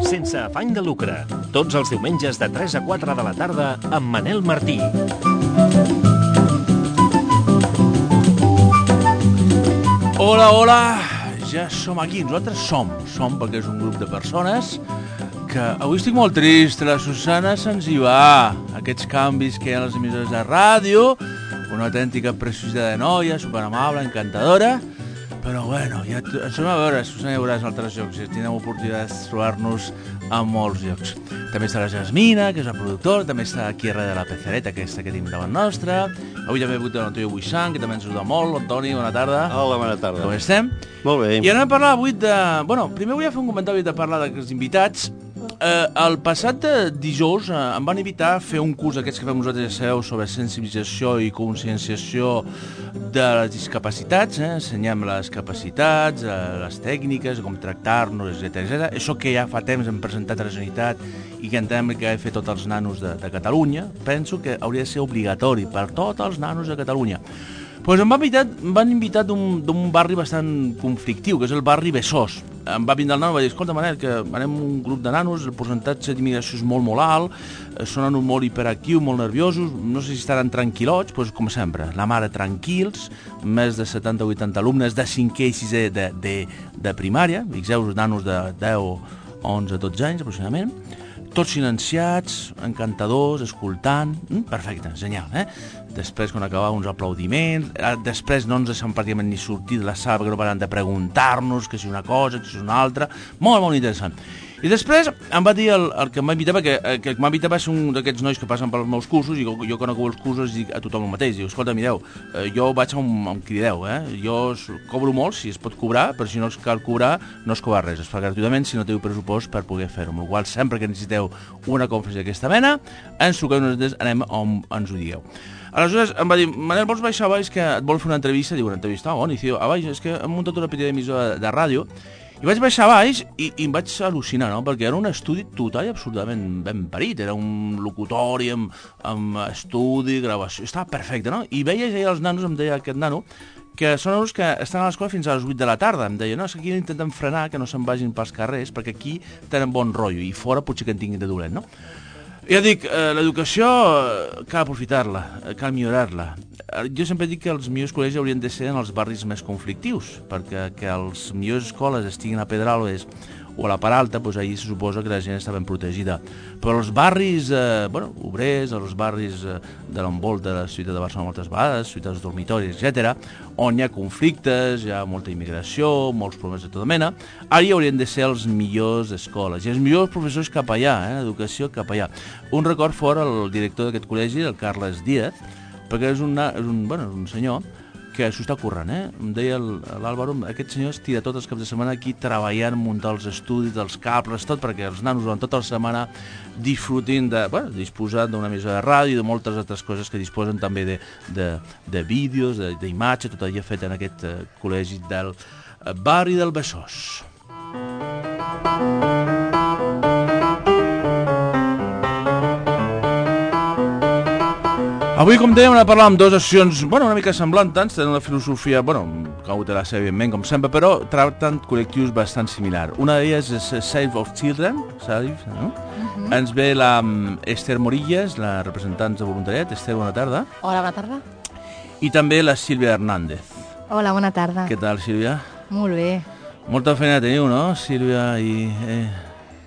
Sense afany de lucre, tots els diumenges de 3 a 4 de la tarda amb Manel Martí. Hola, hola, ja som aquí, nosaltres som perquè és un grup de persones que avui estic molt trist, la Susana se'ns hi va, aquests canvis que hi ha a les emissores de ràdio, una autèntica preciositat de noia, superamable, encantadora, però bueno, ja ens anem a veure, Susana, ja veuràs en altres llocs, ja tindrem oportunitat de trobar-nos a molts llocs. També està la Jasmina, que és la productora, també està aquí darrere de la pecereta, aquesta que tenim davant nostra. Avui també he hagut l'Antonio Buixant, que també ens ajuda molt. Antoni, bona tarda. Hola, bona tarda. Com estem? Molt bé. I anem a parlar avui de... Bueno, primer vull fer un comentari de parlar dels invitats. El passat dijous em van invitar a fer un curs d'aquests que fem nosaltres a SEO sobre sensibilització i conscienciació de les discapacitats, ensenyem les capacitats, les tècniques, com tractar-nos, etc. Això que ja fa temps hem presentat a la Generalitat i que entenem que ha de fer tots els nanos de Catalunya, penso que hauria de ser obligatori per tots els nanos de Catalunya. Pues em van invitar d'un barri bastant conflictiu, que és el barri Besòs. Em va vindre el nano i va dir, escolta, Manel, que anem un grup de nanos, el percentatge d'immigració és molt alt, són nanos molt hiperactius, molt nerviosos, no sé si estaran tranquil·lots, doncs com sempre, la mare tranquils, més de 70-80 alumnes de 5è i 6è de primària, fixeu, nanos de 10, 11, 12 anys aproximadament, tots silenciats, encantadors, escoltant, perfecte, genial, Després, quan acabava, uns aplaudiments, després no ens deixem pràcticament ni sortir de la sala perquè no paren de preguntar-nos que si una cosa, que si una altra, molt, molt interessant. I després em va dir el que em va invitar, perquè el que m'ha invitat va ser un d'aquests nois que passen pels meus cursos, i jo quan acabo els cursos dic a tothom el mateix, diu, escolta, mireu, jo vaig a un crideu, jo cobro molt, si es pot cobrar, però si no es cal cobrar, no es cobra res, es fa gratuïtament si no teniu pressupost per poder fer-ho, amb la qual cosa sempre que necessiteu una conferència d'aquesta mena, ens truqueu, nosaltres anem on ens ho digueu. Aleshores em va dir, Manel, vols baixar a baix que et vol fer una entrevista? Diu, una entrevista? On? I diu, a baix, és que hem muntat una petita emissora de ràdio. I vaig baixar a baix i em vaig al·lucinar, no? Perquè era un estudi total i absolutament ben parit. Era un locutori amb estudi, gravació, estava perfecte, no? I veia ja els nanos, em deia aquest nano, que són nanos que estan a l'escola fins a les 8 de la tarda. Em deia, no, és que aquí intenten frenar, que no se'n vagin pels carrers, perquè aquí tenen bon rotllo i fora potser que en tinguin de dolent, no? Ja dic, l'educació cal aprofitar-la, cal millorar-la. Jo sempre dic que els millors col·legis haurien de ser en els barris més conflictius, perquè que les millors escoles estiguin a Pedralbes o a la Part Alta, doncs ahir se suposa que la gent està ben protegida. Però els barris obrers, els barris de l'envolta de la ciutat de Barcelona moltes vegades, ciutats dormitoris, etc., on hi ha conflictes, hi ha molta immigració, molts problemes de tota mena, ara hi haurien de ser els millors escoles, i els millors professors cap allà, educació cap allà. Un record fora el director d'aquest col·legi, el Carles Díaz, perquè és un senyor que s'ho està currant, Em deia l'Àlvaro, aquest senyor es tira tots els caps de setmana aquí treballant, muntar els estudis, els cables, tot, perquè els nanos durant tota la setmana disfrutin disposant d'una emissora de ràdio i de moltes altres coses que disposen també de vídeos, d'imatge, tot allò fet en aquest col·legi del barri del Besòs. Avui, com dèiem, anem a parlar amb dues associacions, una mica semblants, tenen una filosofia, que ho té la seva, evidentment, com sempre, però tracten col·lectius bastant similar. Una d'elles és Save of Children, no? Ens ve la Esther Morillas, la representant de voluntariat. Esther, bona tarda. Hola, bona tarda. I també la Sílvia Hernández. Hola, bona tarda. Què tal, Sílvia? Molt bé. Molta feina teniu, no, Sílvia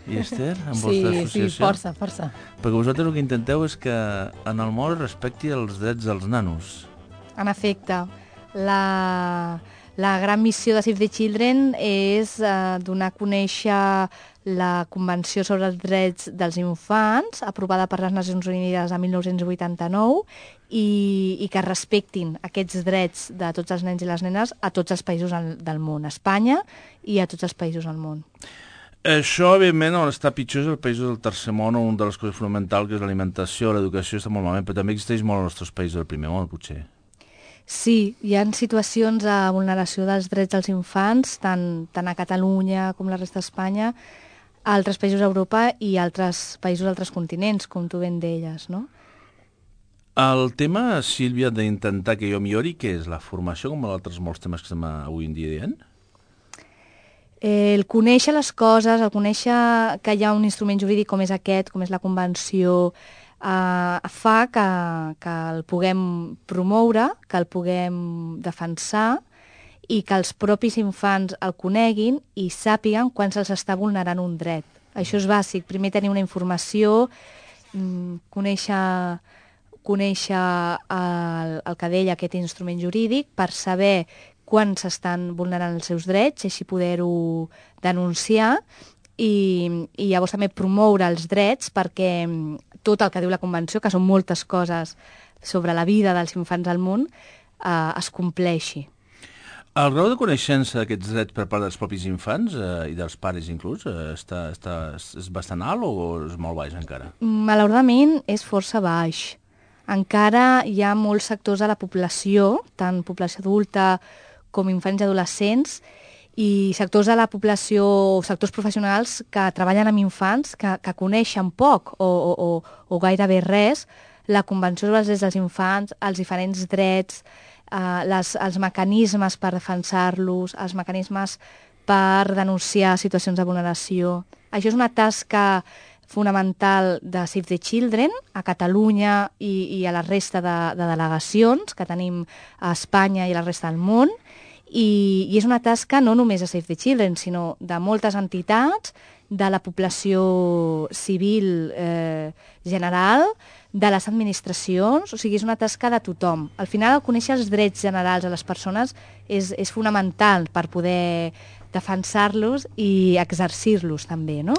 i Esther, amb vostra associació? Sí, força. Perquè vosaltres el que intenteu és que en el món es respecti els drets dels nanos. En efecte, la gran missió de Save the Children és donar a conèixer la Convenció sobre els Drets dels Infants, aprovada per les Nacions Unides a 1989, i que respectin aquests drets de tots els nens i les nenes a tots els països del món, a Espanya i a tots els països del món. Això, evidentment, on està pitjor és el país del tercer món, on una de les coses fonamentals, que és l'alimentació, l'educació, està molt malament, però també existeix molt als nostres països del primer món, potser. Sí, hi ha situacions de vulneració dels drets dels infants, tant a Catalunya com la resta d'Espanya, a altres països d'Europa i altres països d'altres continents, com tu ben deies, no? El tema, Sílvia, d'intentar que jo millori, què és? La formació, com altres molts temes que estem avui en dia dient? El conèixer les coses, el conèixer que hi ha un instrument jurídic com és aquest, com és la Convenció, fa que el puguem promoure, que el puguem defensar i que els propis infants el coneguin i sàpiguen quan se'ls està vulnerant un dret. Això és bàsic. Primer tenir una informació, conèixer el que deia aquest instrument jurídic per saber quan s'estan vulnerant els seus drets i així poder-ho denunciar i llavors també promoure els drets perquè tot el que diu la Convenció, que són moltes coses sobre la vida dels infants al món, es compleixi. El grau de coneixença d'aquests drets per part dels propis infants i dels pares inclús és bastant alt o és molt baix encara? Malauradament és força baix. Encara hi ha molts sectors de la població, tant població adulta com infants i adolescents, i sectors de la població, sectors professionals que treballen amb infants, que coneixen poc o gairebé res, la Convenció sobre els drets dels infants, els diferents drets, els mecanismes per defensar-los, els mecanismes per denunciar situacions de vulneració. Això és una tasca fonamental de Save the Children a Catalunya i a la resta de delegacions que tenim a Espanya i a la resta del món. I és una tasca no només de Save the Children, sinó de moltes entitats, de la població civil general, de les administracions, o sigui, és una tasca de tothom. Al final, conèixer els drets generals de les persones és fonamental per poder defensar-los i exercir-los també, no?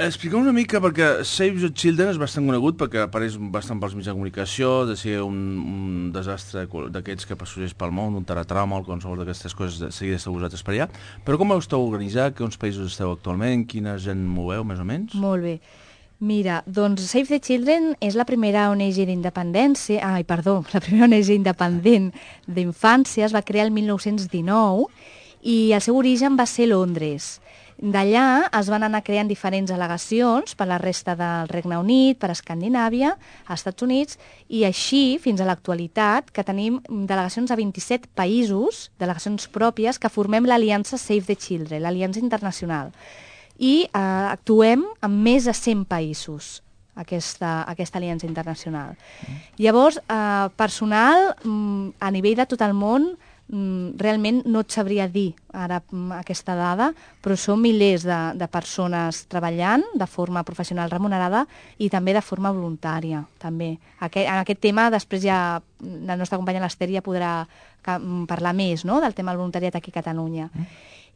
Expliqueu una mica, perquè Save the Children és bastant conegut perquè apareix bastant pels mitjans de comunicació, de ser un desastre d'aquests que passugeix pel món, un terratrauma, qualsevol d'aquestes coses, de seguida esteu vosaltres per allà. Però com esteu organitzat? Quins països esteu actualment? Quina gent moveu, més o menys? Molt bé. Mira, doncs Save the Children és la primera ONG d'independència, la primera ONG independent d'infància, es va crear el 1919 i el seu origen va ser Londres. D'allà es van anar creant diferents delegacions per la resta del Regne Unit, per Escandinàvia, als Estats Units, i així fins a l'actualitat, que tenim delegacions a 27 països, delegacions pròpies, que formem l'Aliança Save the Children, l'Aliança Internacional. I actuem en més de 100 països, aquesta aliança internacional. Llavors, personal, a nivell de tot el món, realment no et sabria dir ara aquesta dada, però són milers de persones treballant de forma professional remunerada i també de forma voluntària. També. En aquest tema després ja la nostra companya l'Ester ja podrà parlar més, no?, del tema del voluntariat aquí a Catalunya.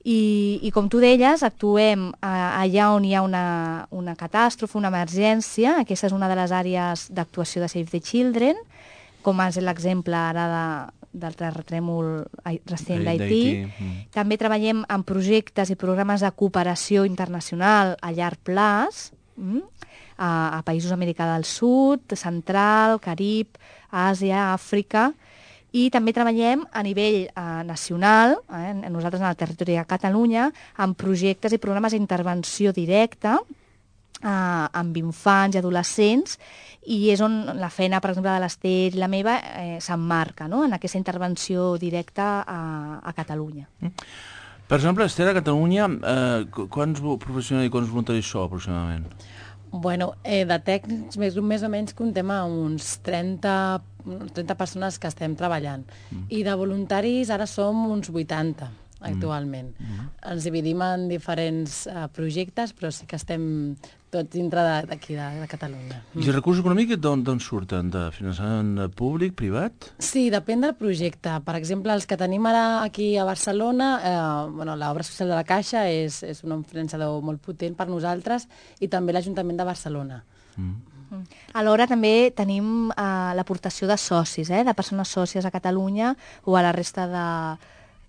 I com tu deies, actuem allà on hi ha una catàstrofe, una emergència. Aquesta és una de les àrees d'actuació de Save the Children, com és l'exemple ara del terratrèmol recent d'Haití. També treballem en projectes i programes de cooperació internacional a llarg plaç, a països d'Amèrica del Sud, Central, Carib, Àsia, Àfrica, i també treballem a nivell nacional, nosaltres en el territori de Catalunya, en projectes i programes d'intervenció directa amb infants i adolescents, i és on la feina, per exemple, de l'Ester i la meva s'emmarca, no?, en aquesta intervenció directa a Catalunya. Per exemple,Ester, a Catalunya, quants professionals i quants voluntaris sou aproximadament? Bueno, de tècnics més o menys comptem a uns 30 persones que estem treballant. I de voluntaris ara som uns 80 actualment. Ens dividim en diferents projectes, però sí que estem tots dintre d'aquí, de Catalunya. I els recursos econòmics d'on surten? De finançament públic, privat? Sí, depèn del projecte. Per exemple, els que tenim ara aquí a Barcelona, l'obra social de la Caixa és un finançador molt potent per nosaltres, i també l'Ajuntament de Barcelona. Alhora també tenim l'aportació de socis, de persones sòcies a Catalunya o a la resta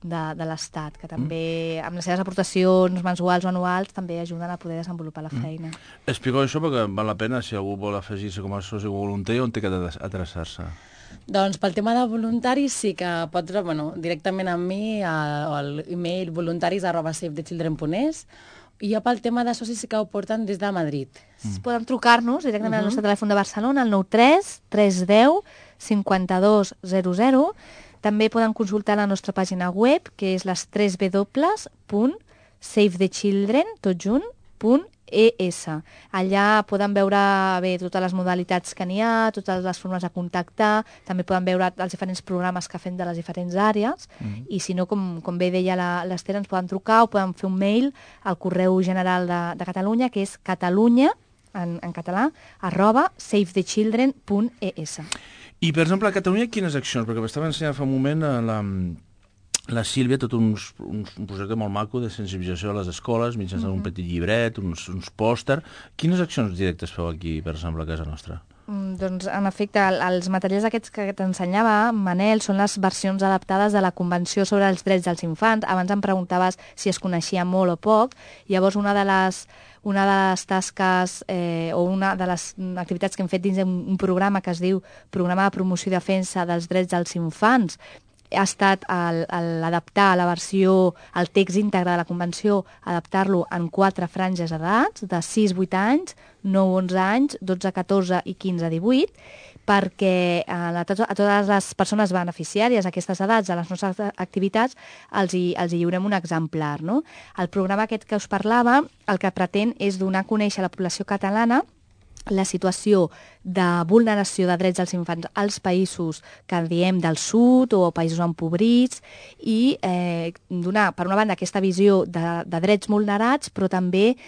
de l'Estat, que també amb les seves aportacions mensuals o anuals també ajuden a poder desenvolupar la feina. Expliqueu això perquè val la pena, si algú vol afegir-se com a soci o voluntari, on té que adreçar-se? Doncs pel tema de voluntaris sí que pots, directament amb mi a l'email voluntaris@safethechildren.es, i jo pel tema de socis sí que ho porten des de Madrid. Podem trucar-nos directament al nostre telèfon de Barcelona, al 93 310 5200. També poden consultar la nostra pàgina web, que és les 3 www.safethechildren.es. Allà poden veure totes les modalitats que n'hi ha, totes les formes de contactar, també poden veure els diferents programes que fem de les diferents àrees, i si no, com bé deia l'Ester, ens poden trucar o poden fer un mail al correu general de Catalunya, que és catalunya, en català, @safethechildren.es. I, per exemple, a Catalunya, quines accions? Perquè m'estava ensenyant fa un moment la Sílvia tot un projecte molt maco de sensibilització a les escoles, mitjançant un petit llibret, uns pòster. Quines accions directes feu aquí, per exemple, a casa nostra? Doncs, en efecte, els materials aquests que t'ensenyava, Manel, són les versions adaptades de la Convenció sobre els Drets dels Infants. Abans em preguntaves si es coneixia molt o poc. Llavors, una de les tasques o una de les activitats que hem fet dins un programa que es diu Programa de Promoció i Defensa dels Drets dels Infants ha estat l'adaptar la versió, el text íntegre de la Convenció, adaptar-lo en 4 franges d'edats, de 6-8 anys, 9-11 anys, 12-14 i 15-18, perquè a totes les persones beneficiàries d'aquestes edats, de les nostres activitats, els hi lliurem un exemplar, no? El programa aquest que us parlava, el que pretén és donar a conèixer a la població catalana la situació de vulneració de drets dels infants als països que diem del sud o països empobrits i donar, per una banda, aquesta visió de drets vulnerats, però també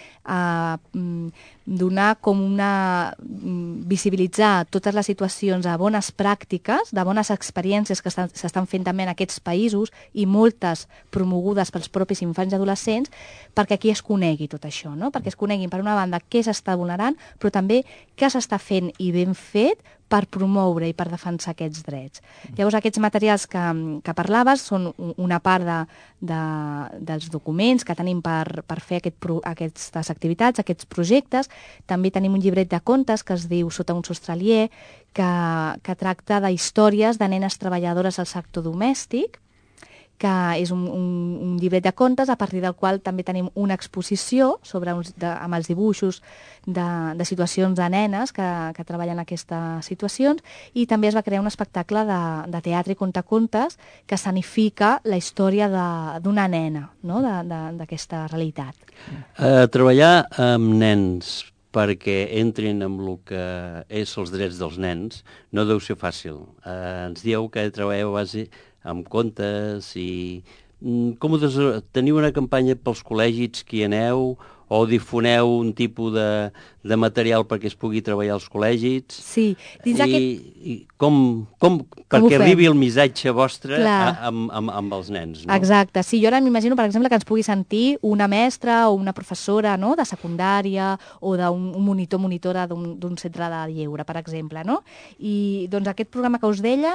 donar com visibilitzar totes les situacions de bones pràctiques, de bones experiències que s'estan fent també en aquests països i moltes promogudes pels propis infants i adolescents, perquè aquí es conegui tot això, no? Perquè es coneguin, per una banda, què s'està vulnerant, però també què s'està fent i ben fet per promoure i per defensar aquests drets. Llavors, aquests materials que parlaves són una part dels documents que tenim per fer aquestes activitats, aquests projectes. També tenim un llibret de contes que es diu Sota un sostre aliè, que tracta d'històries de nenes treballadores al sector domèstic, que és un llibret de contes a partir del qual també tenim una exposició amb els dibuixos de situacions de nenes que treballen aquestes situacions, i també es va crear un espectacle de teatre i contacontes que escenifica la història d'una nena, no? D'aquesta realitat. Treballar amb nens perquè entrin amb el que és els drets dels nens no deu ser fàcil. Ens dieu que treballeu a base amb contes i... Teniu una campanya pels col·legis que hi aneu o difoneu un tipus de material perquè es pugui treballar als col·legis? Sí. I perquè arribi el missatge vostre amb els nens, no? Exacte. Sí, jo ara m'imagino, per exemple, que ens pugui sentir una mestra o una professora, no?, de secundària o d'un monitora d'un centre de lleure, per exemple, no? I doncs aquest programa que us deia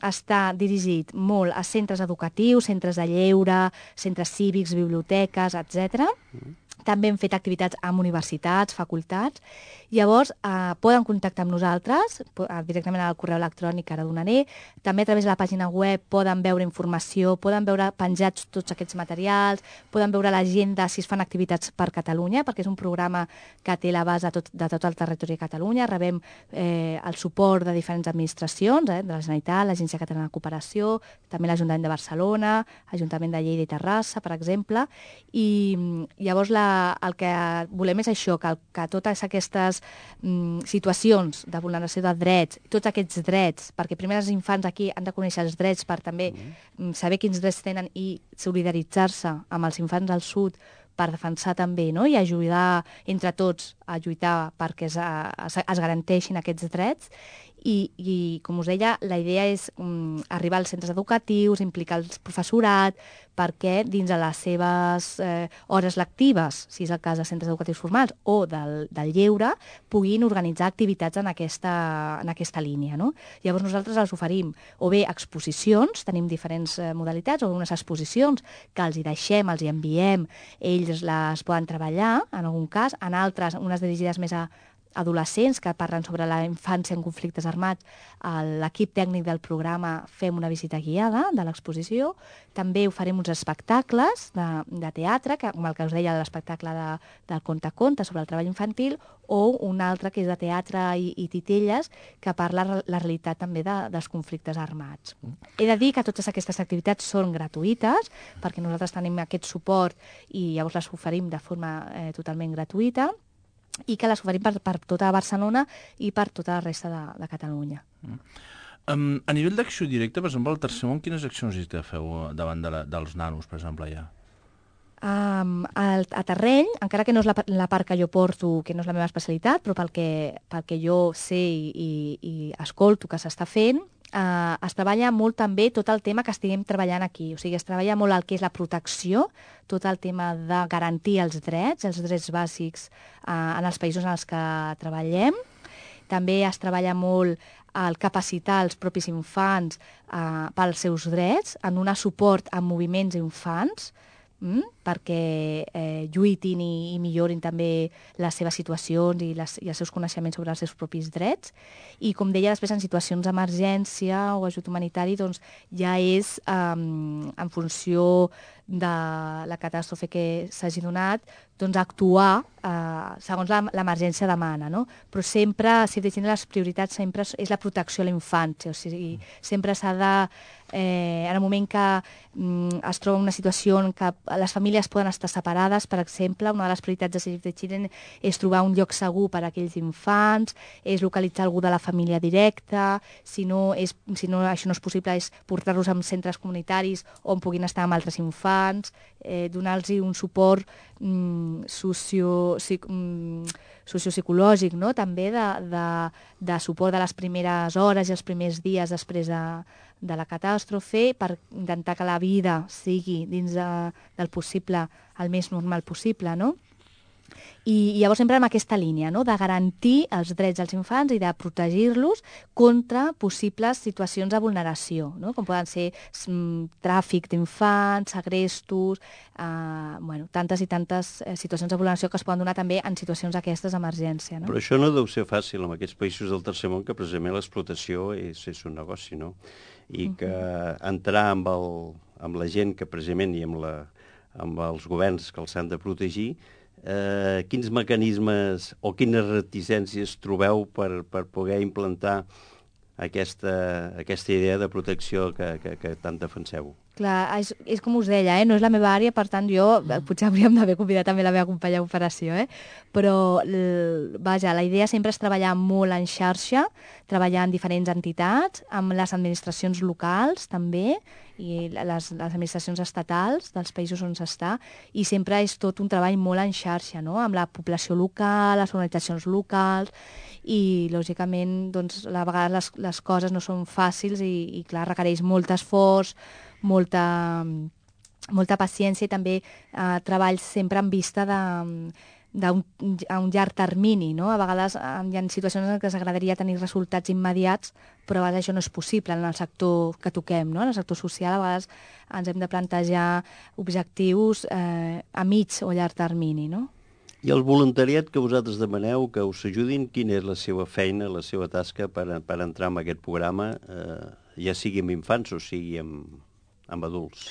està dirigit molt a centres educatius, centres de lleure, centres cívics, biblioteques, etc. També hem fet activitats amb universitats, facultats. Llavors, poden contactar amb nosaltres directament al correu electrònic que ara donaré. També a través de la pàgina web poden veure informació, poden veure penjats tots aquests materials, poden veure l'agenda si es fan activitats per Catalunya, perquè és un programa que té l'abast de tot el territori de Catalunya. Rebem el suport de diferents administracions, de la Generalitat, l'Agència Catalana de Cooperació, també l'Ajuntament de Barcelona, l'Ajuntament de Lleida i Terrassa, per exemple. I llavors el que volem és això, que totes aquestes situacions de vulneració de drets, tots aquests drets, perquè primer els infants aquí han de conèixer els drets per també saber quins drets tenen i solidaritzar-se amb els infants del sud per defensar també, no?, i ajudar entre tots a lluitar perquè es garanteixin aquests drets. I, com us deia, la idea és arribar als centres educatius, implicar el professorat, perquè dins de les seves hores lectives, si és el cas de centres educatius formals o del lleure, puguin organitzar activitats en aquesta línia, no? Llavors nosaltres els oferim o bé exposicions, tenim diferents modalitats, o unes exposicions que els hi deixem, els hi enviem, ells les poden treballar, en algun cas, en altres, unes dirigides més a adolescents que parlen sobre la infància en conflictes armats. L'equip tècnic del programa fem una visita guiada de l'exposició. També oferim uns espectacles de teatre, com el que us deia, l'espectacle del Conte a Conte sobre el treball infantil, o un altre que és de teatre i titelles, que parla la realitat també dels conflictes armats. He de dir que totes aquestes activitats són gratuïtes, perquè nosaltres tenim aquest suport i llavors les oferim de forma totalment gratuïta, i que les oferim per tota Barcelona i per tota la resta de Catalunya. A nivell d'acció directa, per exemple, al Tercer Món, quines accions hi feu davant dels nanos, per exemple, allà? A Terreny, encara que no és la part que jo porto, que no és la meva especialitat, però pel que jo sé i escolto que s'està fent, es treballa molt també tot el tema que estiguem treballant aquí. O sigui, es treballa molt el que és la protecció, tot el tema de garantir els drets bàsics en els països en els que treballem. També es treballa molt el capacitar els propis infants pels seus drets, en donar suport a moviments infants, perquè lluitin i millorin també les seves situacions i els seus coneixements sobre els seus propis drets. I, com deia, després en situacions d'emergència o ajut humanitari, doncs ja és en funció de la catàstrofe que s'hagi donat, doncs actuar segons l'emergència demana, no? Però sempre, si deixin les prioritats, sempre és la protecció a la infància, o sigui, sempre s'ha de, en el moment que es troba una situació en què les famílies poden estar separades, per exemple, una de les prioritats de Save the Children és trobar un lloc segur per a aquells infants, és localitzar algú de la família directa, si no això no és possible, és portar-los a centres comunitaris on puguin estar amb altres infants, donar-los un suport sociopsicològic, no? També de suport de les primeres hores i els primers dies després de la catàstrofe, per intentar que la vida sigui dins del possible el més normal possible, no? I llavors sempre en aquesta línia, no? De garantir els drets dels infants i de protegir-los contra possibles situacions de vulneració, no? Com poden ser tràfic d'infants, segrestos, tantes i tantes situacions de vulneració que es poden donar també en situacions d'aquestes d'emergència, no? Però això no deu ser fàcil en aquests països del Tercer Món, que precisament l'explotació és un negoci, no? I que entrar amb la gent que precisament i amb els governs que els han de protegir, quins mecanismes o quines reticències trobeu per poder implantar aquesta idea de protecció que tant defenseu? Clar, és com us deia, no és la meva àrea, per tant jo potser hauríem d'haver convidat també la meva companya d'operació, però vaja, la idea sempre és treballar molt en xarxa, treballar en diferents entitats, amb les administracions locals també, i les administracions estatals dels països on s'està, i sempre és tot un treball molt en xarxa, no? Amb la població local, les organitzacions locals, i lògicament doncs, a vegades les coses no són fàcils i clar, requereix molt esforç, molta paciència i també treball sempre en vista a un llarg termini, no? A vegades hi ha situacions en què ens agradaria tenir resultats immediats, però a vegades això no és possible en el sector que toquem, no? En el sector social a vegades ens hem de plantejar objectius a mig o llarg termini, no? I el voluntariat que vosaltres demaneu que us ajudin, quina és la seva feina, la seva tasca per entrar en aquest programa, ja sigui amb infants o sigui amb adults?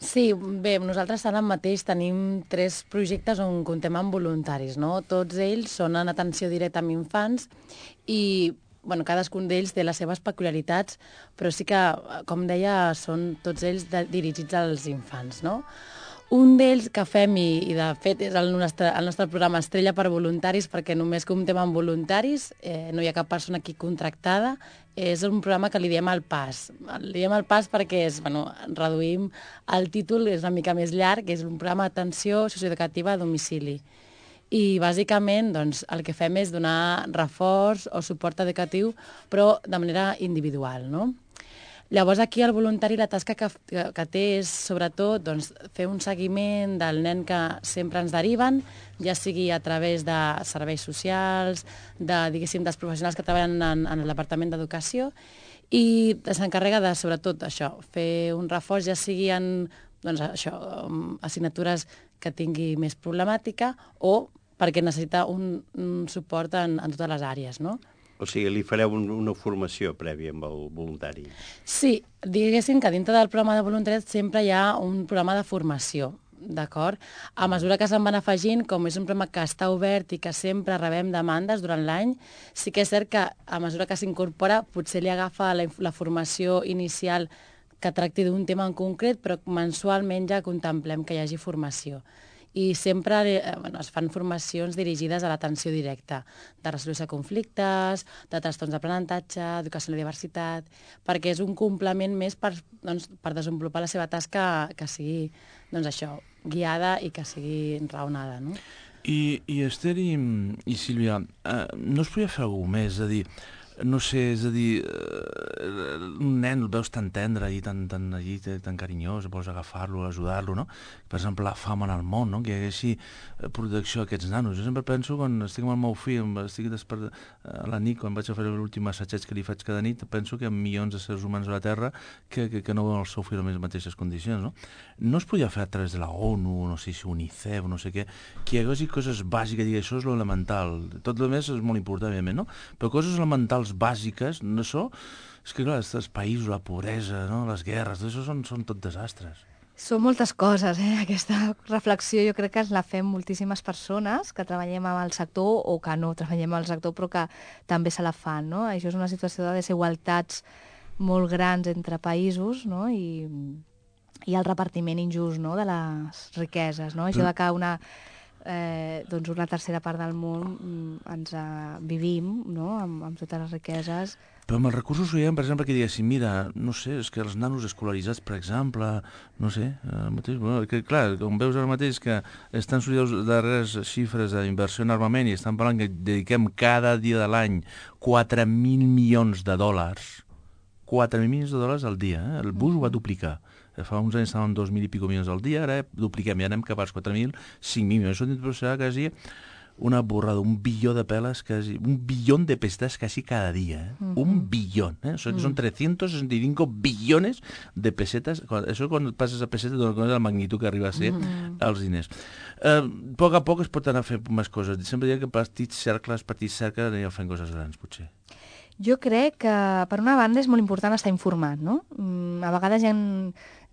Sí, bé, nosaltres ara mateix tenim 3 projectes on comptem amb voluntaris, no? Tots ells són en atenció directa amb infants i cadascun d'ells té les seves peculiaritats, però sí que, com deia, són tots ells dirigits als infants, no? Un d'ells que fem, i de fet és el nostre programa Estrella per voluntaris, perquè només comptem amb voluntaris, no hi ha cap persona aquí contractada, és un programa que li diem el PAS. Li diem el PAS perquè reduïm el títol, és una mica més llarg, és un programa d'atenció socioeducativa a domicili. I bàsicament el que fem és donar reforç o suport educatiu, però de manera individual, no? Llavors aquí el voluntari la tasca que té és sobretot fer un seguiment del nen que sempre ens deriven, ja sigui a través de serveis socials, dels professionals que treballen en el Departament d'Educació, i s'encarrega de, sobretot, això, fer un reforç, ja sigui en assignatures que tingui més problemàtica o perquè necessita un suport en totes les àrees, no? O sigui, li fareu una formació prèvia amb el voluntari. Sí, diguéssim que dintre del programa de voluntariat sempre hi ha un programa de formació, d'acord? A mesura que se'n van afegint, com és un programa que està obert i que sempre rebem demandes durant l'any, sí que és cert que a mesura que s'incorpora potser li agafa la formació inicial que tracti d'un tema en concret, però mensualment ja contemplem que hi hagi formació. I sempre es fan formacions dirigides a l'atenció directa, de resolució de conflictes, de trastorns d'aprenentatge, educació en la diversitat, perquè és un complement més per desenvolupar la seva tasca que sigui guiada i que sigui raonada. No? I Esther i Sílvia, no es podia fer alguna cosa més? És a dir, no sé, és a dir, un nen el veus tan tendre i tan carinyós, vols agafar-lo, ajudar-lo, no? Per exemple, la fam en el món, no? Que hi haguessi protecció a aquests nanos. Jo sempre penso, quan estic amb el meu fill, estic a la nit, quan vaig a fer l'últim assaig que li faig cada nit, penso que hi ha milions de seres humans a la Terra que no veuen el seu fill en les mateixes condicions, no? No es podia fer a través de la ONU, no sé si UNICEF, no sé què, que hi haguessi coses bàsiques, i això és l'elemental. Tot el més és molt important, evidentment, no? Però coses elementals bàsiques, no això, és que clar, els països, la pobresa, no? Les guerres, tot això són tot desastres. Són moltes coses, Aquesta reflexió jo crec que la fem moltíssimes persones que treballem amb el sector o que no treballem amb el sector però que també se la fan, no? Això és una situació de desigualtats molt grans entre països, no? I el repartiment injust, no? De les riqueses, no? Això de que una tercera part del món vivim, no? Amb totes les riqueses. Però amb els recursos ho veiem, per exemple, que diguéssim, mira, no sé, és que els nanos escolaritzats, per exemple, no sé, mateix, que clar, com veus ara mateix que estan sortint les darreres xifres d'inversió en armament i estan parlant que dediquem cada dia de l'any 4.000 milions de dòlars, 4.000 milions de dòlars al dia, el Bush ho va duplicar. Fa uns anys estàvem 2.000 i pico milions al dia, ara dupliquem, ja anem cap als 4.000, 5.000 milions. Això serà quasi una borrada, un bilió de peles, quasi, un billón de pessetes quasi cada dia. Un billón. O sigui que són 365 billones de pessetes. Això quan passes a pessetes dones la magnitud que arriba a ser els diners. A poc a poc es pot anar fent més coses. Sempre diria que petits cercles anireu fent coses grans, potser. Jo crec que, per una banda, és molt important estar informat, no? A vegades hi ha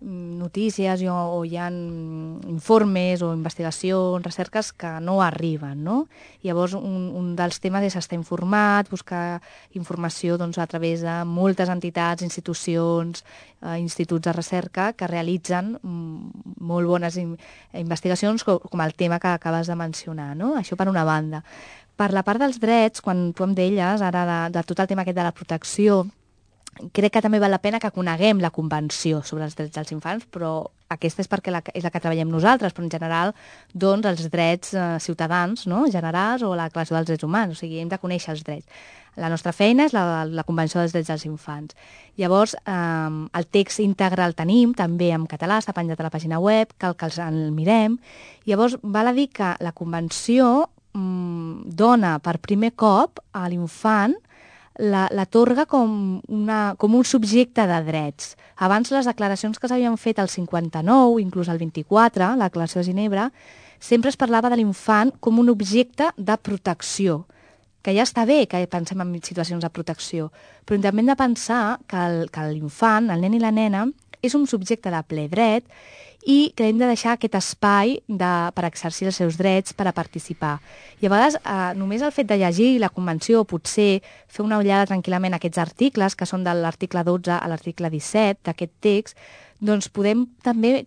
notícies o hi ha informes o investigacions, recerques que no arriben, no? Llavors, un dels temes és estar informat, buscar informació a través de moltes entitats, institucions, instituts de recerca que realitzen molt bones investigacions com el tema que acabes de mencionar, no? Això per una banda. Per la part dels drets, quan tu em deies ara de tot el tema aquest de la protecció, crec que també val la pena que coneguem la Convenció sobre els drets dels infants, però aquesta és perquè és la que treballem nosaltres, però en general, doncs, els drets ciutadans, no?, generals, o la Declaració dels Drets Humans, o sigui, hem de conèixer els drets. La nostra feina és la Convenció dels Drets dels Infants. Llavors, el text íntegre el tenim, també en català, està penjat a la pàgina web, cal que el mirem. Llavors, val a dir que la Convenció dona per primer cop a l'infant, l'atorga com un subjecte de drets. Abans les declaracions que s'havien fet al 59, inclús al 24, la Declaració de Ginebra, sempre es parlava de l'infant com un objecte de protecció, que ja està bé que pensem en situacions de protecció, però també hem de pensar que l'infant, el nen i la nena, és un subjecte de ple dret i que hem de deixar aquest espai per exercir els seus drets, per a participar. I a vegades només el fet de llegir la Convenció, o potser fer una ullada tranquil·lament a aquests articles, que són de l'article 12 a l'article 17 d'aquest text, doncs podem també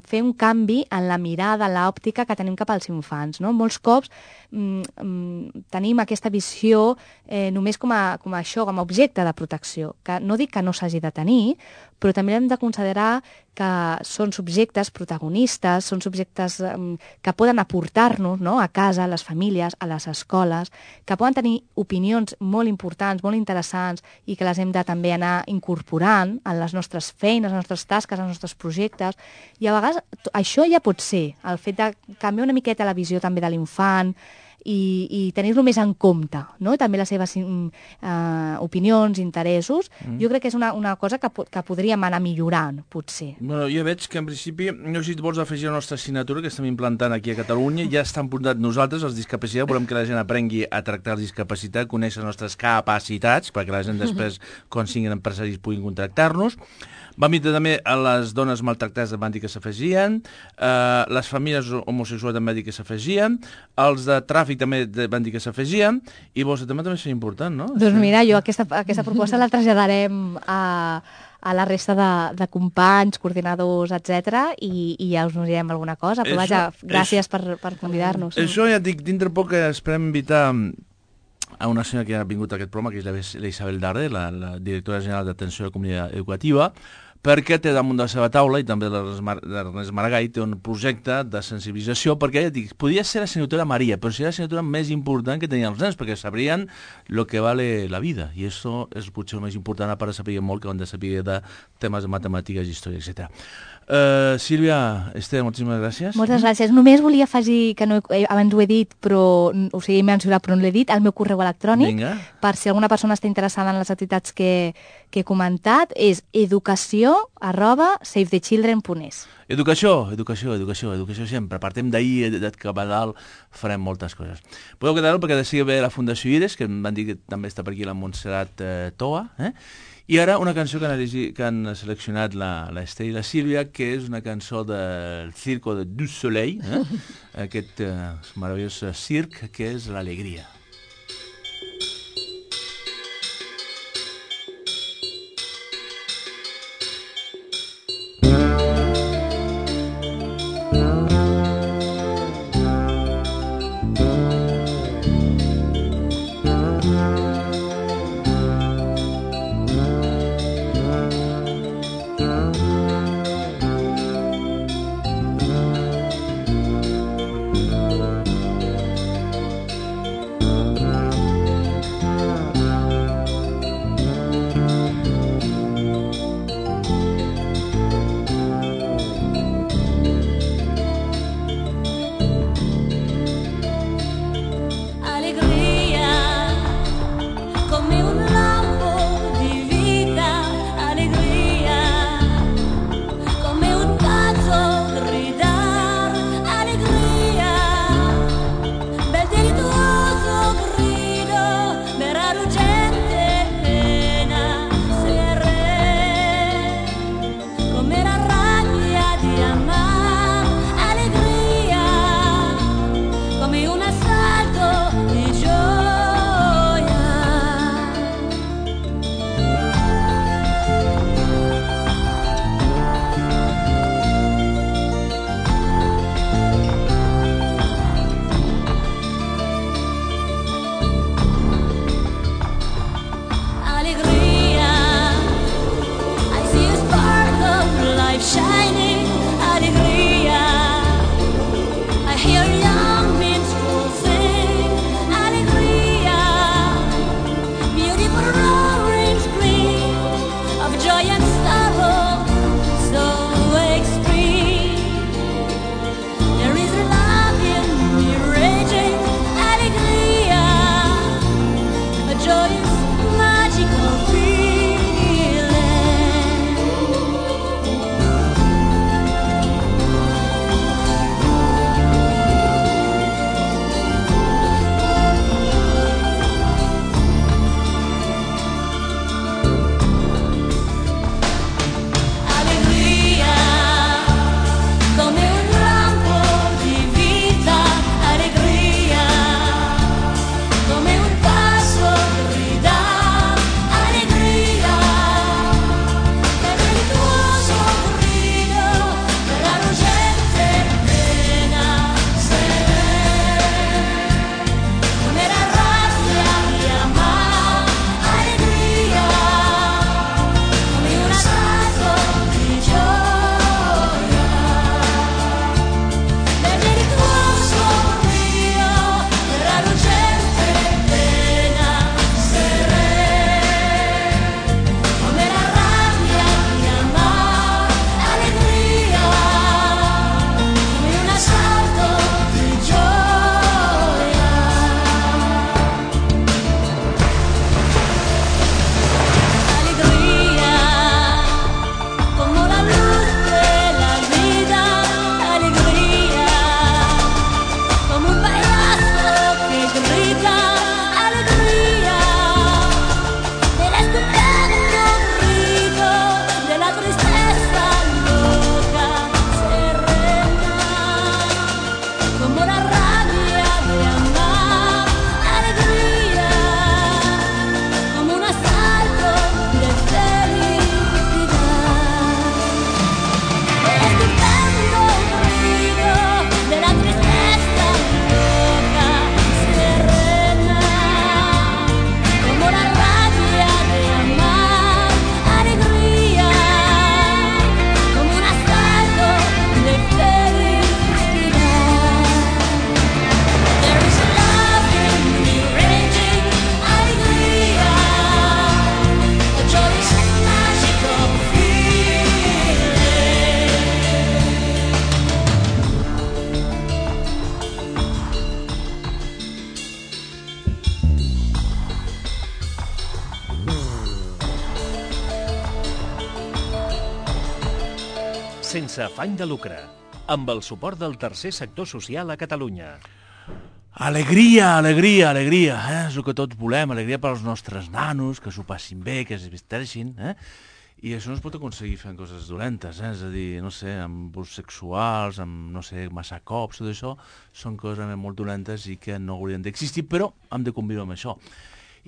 fer un canvi en la mirada, en l'òptica que tenim cap als infants, no? Molts cops tenim aquesta visió només com a objecte de protecció, que no dic que no s'hagi de tenir, però també hem de considerar que són subjectes protagonistes, són subjectes que poden aportar-nos, no?, a casa, a les famílies, a les escoles, que poden tenir opinions molt importants, molt interessants i que les hem de també anar incorporant en les nostres feines, les nostres tasques, els nostres projectes. I a vegades això ja pot ser, el fet de canviar una miqueta la visió també de l'infant i tenir-lo més en compte, no? També les seves opinions, interessos. Jo crec que és una cosa que podríem anar millorant, potser. Bueno, jo veig que en principi, no sé si vols afegir la nostra assignatura que estem implantant aquí a Catalunya, ja estan apuntat nosaltres, els discapacitats, volem que la gent aprengui a tractar els discapacitats, conèixer les nostres capacitats, perquè la gent després, quan siguin empresaris, puguin contractar-nos. Vam dir també a les dones maltractades van dir que s'afegien, les famílies homosexuals també van dir que s'afegien, els de tràfic també van dir que s'afegien, i vols també és important, no? Doncs mira, jo aquesta proposta la traslladarem a la resta de companys, coordinadors, etc. i ja us direm alguna cosa. Però vaja, gràcies per convidar-nos. Això ja dic, dintre poc esperem invitar a una senyora que ha vingut a aquest programa, que és la Isabel Darde, la directora general d'Atenció a la Comunitat Educativa, perquè té damunt de la seva taula, i també l'Ernest Maragall, té un projecte de sensibilització, perquè ja dic, podia ser la assignatura Maria, però seria la assignatura més important que tenien els nens, perquè sabrien el que vale la vida, i això és potser el més important, a part de saber molt que han de saber de temes de matemàtiques, història, etc. Sílvia, Esther, moltíssimes gràcies. Moltes gràcies. Només volia afegir, que no, abans ho he dit, però, o sigui, m'he mencionat, però no l'he dit, el meu correu electrònic, per si alguna persona està interessada en les activitats que he comentat, és educació@savethechildren.es. Educació sempre. Partim d'ahir, cap a dalt, farem moltes coses. Podeu quedar-ho perquè de seguida la Fundació Iris, que em van dir que també està per aquí la Montserrat Toa, i ara una cançó que han seleccionat l'Esther i la Sílvia, que és una cançó del Circo du Soleil, aquest meravellós circ que és l'alegria. sense afany de lucre, amb el suport del tercer sector social a Catalunya. Alegria, alegria, alegria, és el que tots volem, alegria pels nostres nanos, que s'ho passin bé, que es vesteixin, I això no es pot aconseguir fent coses dolentes, és a dir, no sé, amb abús sexuals, amb, no sé, massa cops, tot això, són coses molt dolentes i que no haurien d'existir, però hem de conviure amb això.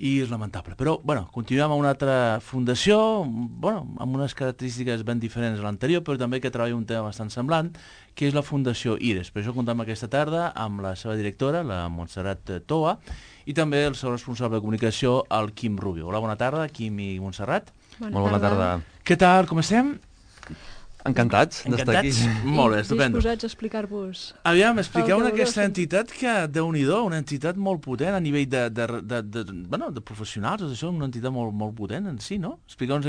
I és lamentable. Però, bueno, continuem amb una altra fundació, bueno, amb unes característiques ben diferents a l'anterior, però també que treballa un tema bastant semblant, que és la Fundació IRES. Per això comptem aquesta tarda amb la seva directora, la Montserrat Toa, i també el seu responsable de comunicació, el Quim Rubio. Hola, bona tarda, Quim i Montserrat. Molt bona tarda. Què tal, com estem? Encantats d'estar aquí. Molt bé, estupendo. Disposats a explicar-vos. Aviam, expliqueu-me aquesta entitat que, Déu-n'hi-do, una entitat molt potent a nivell de professionals, això, una entitat molt potent en si, no? Expliqueu-nos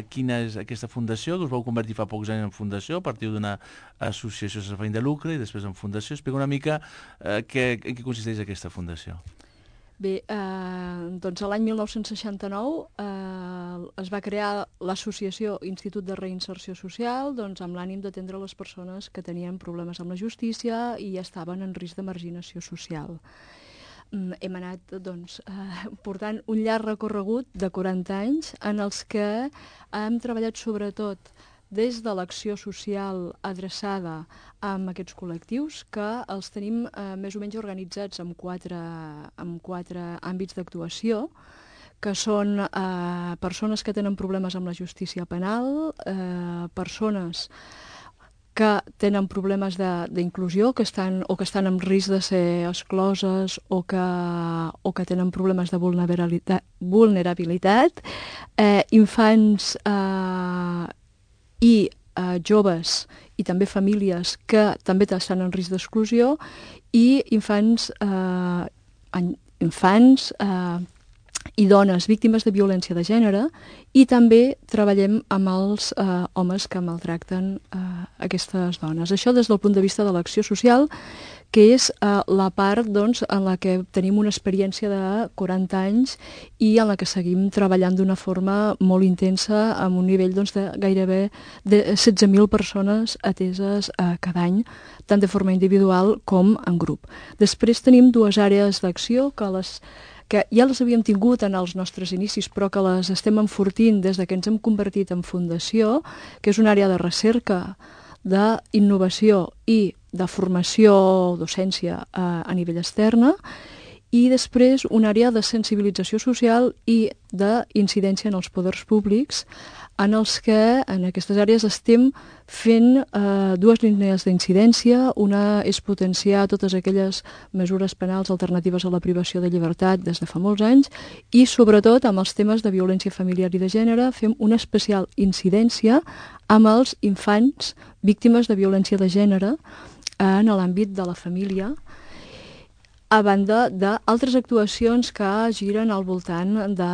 quina és aquesta fundació, que us vau convertir fa pocs anys en fundació, a partir d'una associació sense afany de lucre i després en fundació. Expliqueu una mica en què consisteix aquesta fundació. Bé, doncs l'any 1969 es va crear l'associació Institut de Reinserció Social amb l'ànim d'atendre les persones que tenien problemes amb la justícia i estaven en risc de marginació social. Hem anat portant un llarg recorregut de 40 anys en els que hem treballat sobretot des de l'acció social adreçada a aquests col·lectius, que els tenim més o menys organitzats en quatre àmbits d'actuació, que són persones que tenen problemes amb la justícia penal, persones que tenen problemes d'inclusió, que estan en risc de ser excloses o que tenen problemes de vulnerabilitat, infants i joves i també famílies que també estan en risc d'exclusió i infants i dones víctimes de violència de gènere, i també treballem amb els homes que maltracten aquestes dones. Això des del punt de vista de l'acció social, que és la part en la que tenim una experiència de 40 anys i en la que seguim treballant d'una forma molt intensa, amb un nivell de gairebé de 16.000 persones ateses cada any, tant de forma individual com en grup. Després tenim dues àrees d'acció que ja les havíem tingut en els nostres inicis, però que les estem enfortint des que ens hem convertit en fundació, que és una àrea de recerca, d'innovació i de formació, docència a nivell externa, i després una àrea de sensibilització social i d'incidència en els poders públics, en els que en aquestes àrees estem fent dues línies d'incidència. Una és potenciar totes aquelles mesures penals alternatives a la privació de llibertat des de fa molts anys, i sobretot amb els temes de violència familiar i de gènere fem una especial incidència amb els infants víctimes de violència de gènere en l'àmbit de la família, a banda d'altres actuacions que giren al voltant de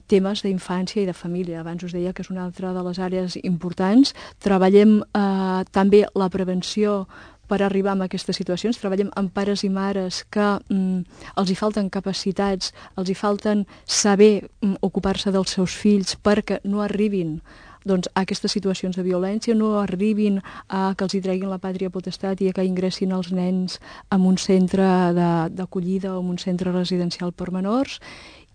temes d'infància i de família. Abans us deia que és una altra de les àrees importants. Treballem també la prevenció per arribar a aquestes situacions. Treballem amb pares i mares que els hi falten capacitats, els hi falten saber ocupar-se dels seus fills perquè no arribin a aquestes situacions de violència, no arribin a que els hi treguin la pàtria potestat i a que ingressin els nens en un centre d'acollida o en un centre residencial per menors.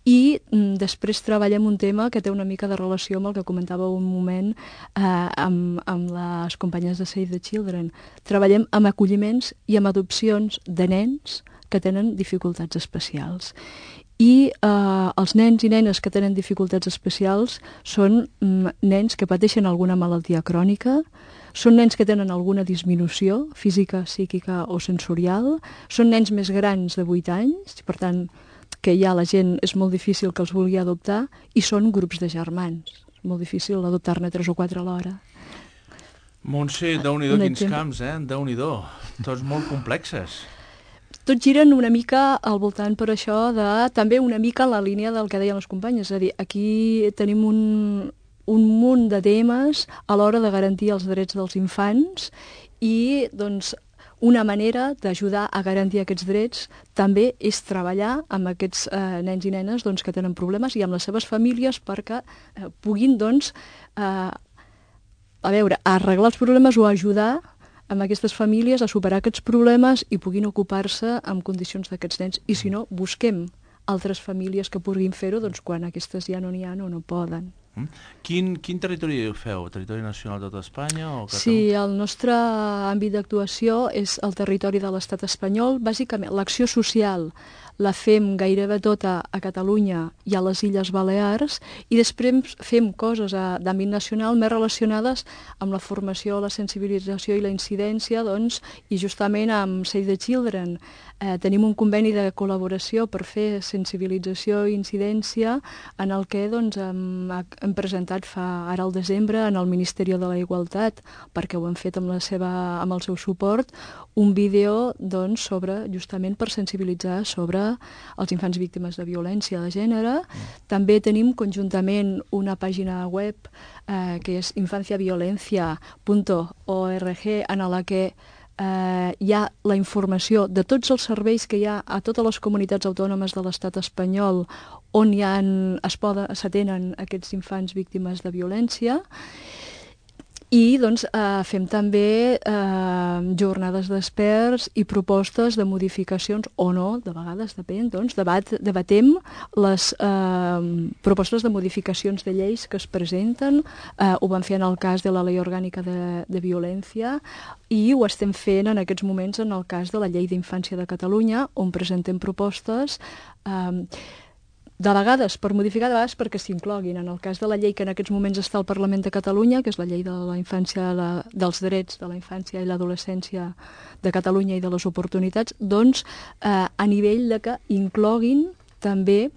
I després treballem un tema que té una mica de relació amb el que comentava un moment amb les companyes de Save the Children. Treballem amb acolliments i amb adopcions de nens que tenen dificultats especials. I els nens i nenes que tenen dificultats especials són nens que pateixen alguna malaltia crònica, són nens que tenen alguna disminució física, psíquica o sensorial, són nens més grans de 8 anys, per tant, que ja la gent és molt difícil que els vulgui adoptar, i són grups de germans. És molt difícil adoptar-ne 3 o 4 alhora. Montse, Déu-n'hi-do quins camps, Déu-n'hi-do. Tots molt complexes. Tots giren una mica al voltant per això també una mica en la línia del que deien les companyes. És a dir, aquí tenim un munt de temes a l'hora de garantir els drets dels infants i una manera d'ajudar a garantir aquests drets també és treballar amb aquests nens i nenes que tenen problemes i amb les seves famílies perquè puguin a veure, a arreglar els problemes o a ajudar amb aquestes famílies a superar aquests problemes i puguin ocupar-se en condicions d'aquests nens. I si no, busquem altres famílies que puguin fer-ho doncs, quan aquestes ja no n'hi ha o no poden. Quin territori feu? Territori nacional de tota Espanya? O Sí, el nostre àmbit d'actuació és el territori de l'estat espanyol. Bàsicament, l'acció social la fem gairebé tota a Catalunya i a les Illes Balears i després fem coses d'àmbit nacional més relacionades amb la formació, la sensibilització i la incidència, doncs, i justament amb Save the Children. Tenim un conveni de col·laboració per fer sensibilització i incidència en el que doncs, hem presentat ara al desembre en el Ministeri de la Igualtat, perquè ho hem fet amb el seu suport, un vídeo doncs, justament per sensibilitzar sobre els infants víctimes de violència de gènere. També tenim conjuntament una pàgina web que és infanciaviolencia.org en la que hi ha la informació de tots els serveis que hi ha a totes les comunitats autònomes de l'estat espanyol on s'atenen aquests infants víctimes de violència. I doncs, fem també jornades d'experts i propostes de modificacions, o no, de vegades depèn, doncs, debatem les propostes de modificacions de lleis que es presenten. Ho vam fer en el cas de la Llei Orgànica de Violència i ho estem fent en aquests moments en el cas de la Llei d'Infància de Catalunya, on presentem propostes de vegades per modificar, de vegades perquè s'incloguin. En el cas de la llei que en aquests moments està al Parlament de Catalunya, que és la llei de la infància, dels drets de la infància i l'adolescència de Catalunya i de les oportunitats, doncs a nivell de que incloguin també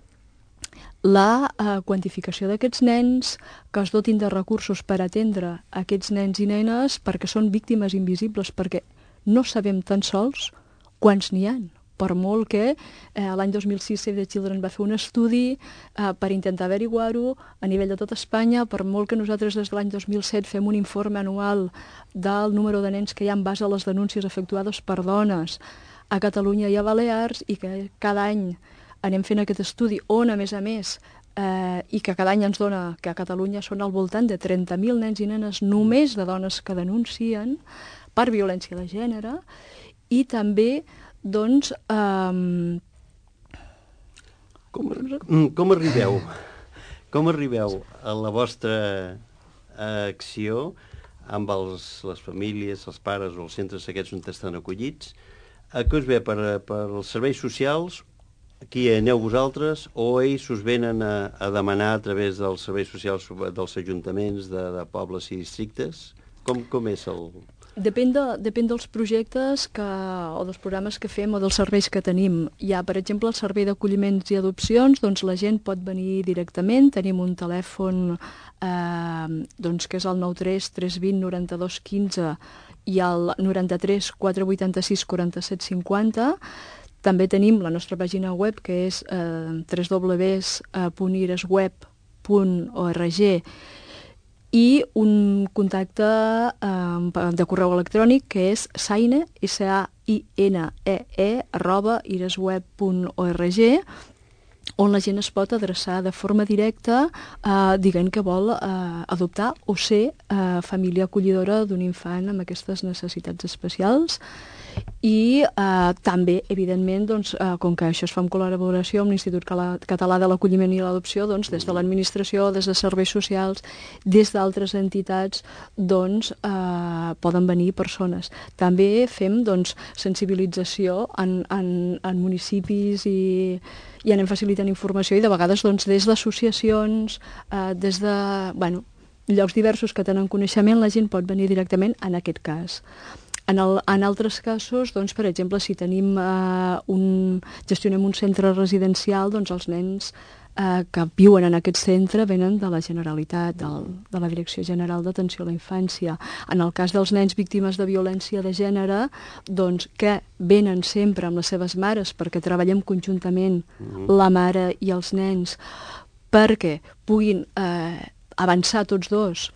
la quantificació d'aquests nens, que es dotin de recursos per atendre aquests nens i nenes perquè són víctimes invisibles, perquè no sabem tan sols quants n'hi ha. Per molt que l'any 2006 Save the Children va fer un estudi per intentar averiguar-ho a nivell de tot Espanya, per molt que nosaltres des de l'any 2007 fem un informe anual del número de nens que hi ha en base a les denúncies efectuades per dones a Catalunya i a Balears, i que cada any anem fent aquest estudi on, a més, i que cada any ens dona que a Catalunya són al voltant de 30.000 nens i nenes només de dones que denuncien per violència de gènere. I també doncs, com arribeu a la vostra acció amb les famílies, els pares o els centres aquests on estan acollits? A què us ve? Per els serveis socials? Aquí aneu vosaltres o ells us venen a demanar a través dels serveis socials dels ajuntaments de pobles i districtes? Com és el... Depèn dels projectes o dels programes que fem o dels serveis que tenim. Hi ha, per exemple, el servei d'acolliments i adopcions, doncs la gent pot venir directament. Tenim un telèfon que és el 93 320 92 15 i el 93 486 47 50. També tenim la nostra pàgina web, que és www.iresweb.org, i un contacte de correu electrònic que és saine, sainee@iresweb.org, on la gent es pot adreçar de forma directa dient que vol adoptar o ser família acollidora d'un infant amb aquestes necessitats especials. I també, evidentment, doncs, com que això es fa en col·laboració amb l'Institut Català de l'Acolliment i l'Adopció, doncs, des de l'administració, des de serveis socials, des d'altres entitats, doncs, poden venir persones. També fem doncs, sensibilització en municipis i anem facilitant informació, i de vegades doncs, des d'associacions, des de llocs diversos que tenen coneixement, la gent pot venir directament en aquest cas. En altres casos, doncs, per exemple, si tenim gestionem un centre residencial, doncs els nens que viuen en aquest centre venen de la Generalitat, de la Direcció General d'Atenció a la Infància. En el cas dels nens víctimes de violència de gènere, doncs, que venen sempre amb les seves mares, perquè treballem conjuntament la mare i els nens, perquè puguin avançar tots dos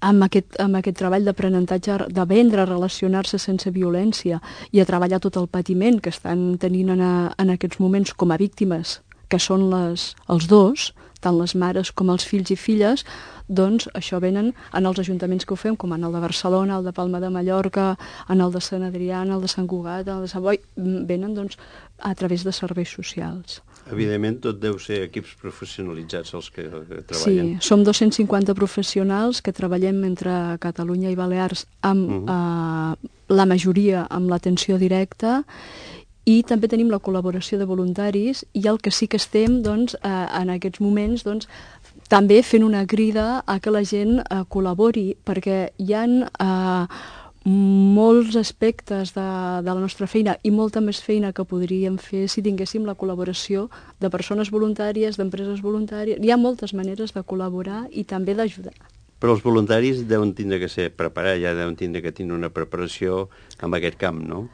amb aquest treball d'aprenentatge, d'aprendre a relacionar-se sense violència i a treballar tot el patiment que estan tenint en aquests moments com a víctimes, que són els dos, tant les mares com els fills i filles, doncs això venen en els ajuntaments que ho fem, com en el de Barcelona, el de Palma de Mallorca, en el de Sant Adrià, en el de Sant Cugat, en el de Sant Boi, venen doncs a través de serveis socials. Evidentment, tot deu ser equips professionalitzats els que Sí, treballen. som 250 professionals que treballem entre Catalunya i Balears amb la majoria amb l'atenció directa, i també tenim la col·laboració de voluntaris, i el que sí que estem doncs, en aquests moments doncs, també fent una crida a que la gent col·labori, perquè hi ha molts aspectes de la nostra feina i molta més feina que podríem fer si tinguéssim la col·laboració de persones voluntàries, d'empreses voluntàries. Hi ha moltes maneres de col·laborar i també d'ajudar. Però els voluntaris deuen tindre que ser preparats, ja deuen tindre que tenir una preparació en aquest camp, no?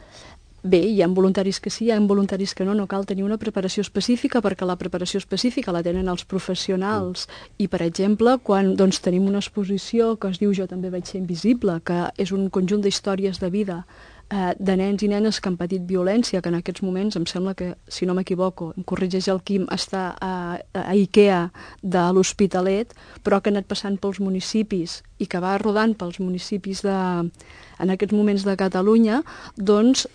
Bé, hi ha voluntaris que sí, hi ha voluntaris que no, no cal tenir una preparació específica perquè la preparació específica la tenen els professionals i, per exemple, quan doncs, tenim una exposició que es diu Jo també vaig ser invisible, que és un conjunt d'històries de vida de nens i nenes que han patit violència, que en aquests moments em sembla que, si no m'equivoco, em corregeix el Quim, està a IKEA de l'Hospitalet, però que ha anat passant pels municipis i que va rodant pels municipis en aquests moments de Catalunya, doncs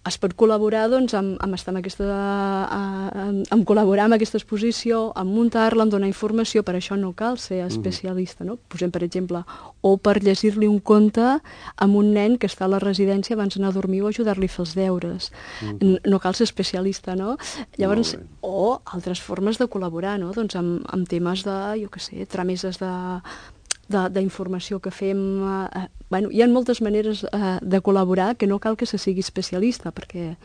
es pot col·laborar doncs, amb estar amb col·laborar amb aquesta exposició, amb muntar-la, amb donar informació. Per això no cal ser especialista, no? Posem, per exemple, o per llegir-li un conte a un nen que està a la residència abans d'anar a dormir o ajudar-li a fer els deures. No cal ser especialista, no? Llavors, o altres formes de col·laborar, no? Doncs amb temes de, jo què sé, trameses d'informació que fem. Hi ha moltes maneres de col·laborar que no cal que se sigui especialista, perquè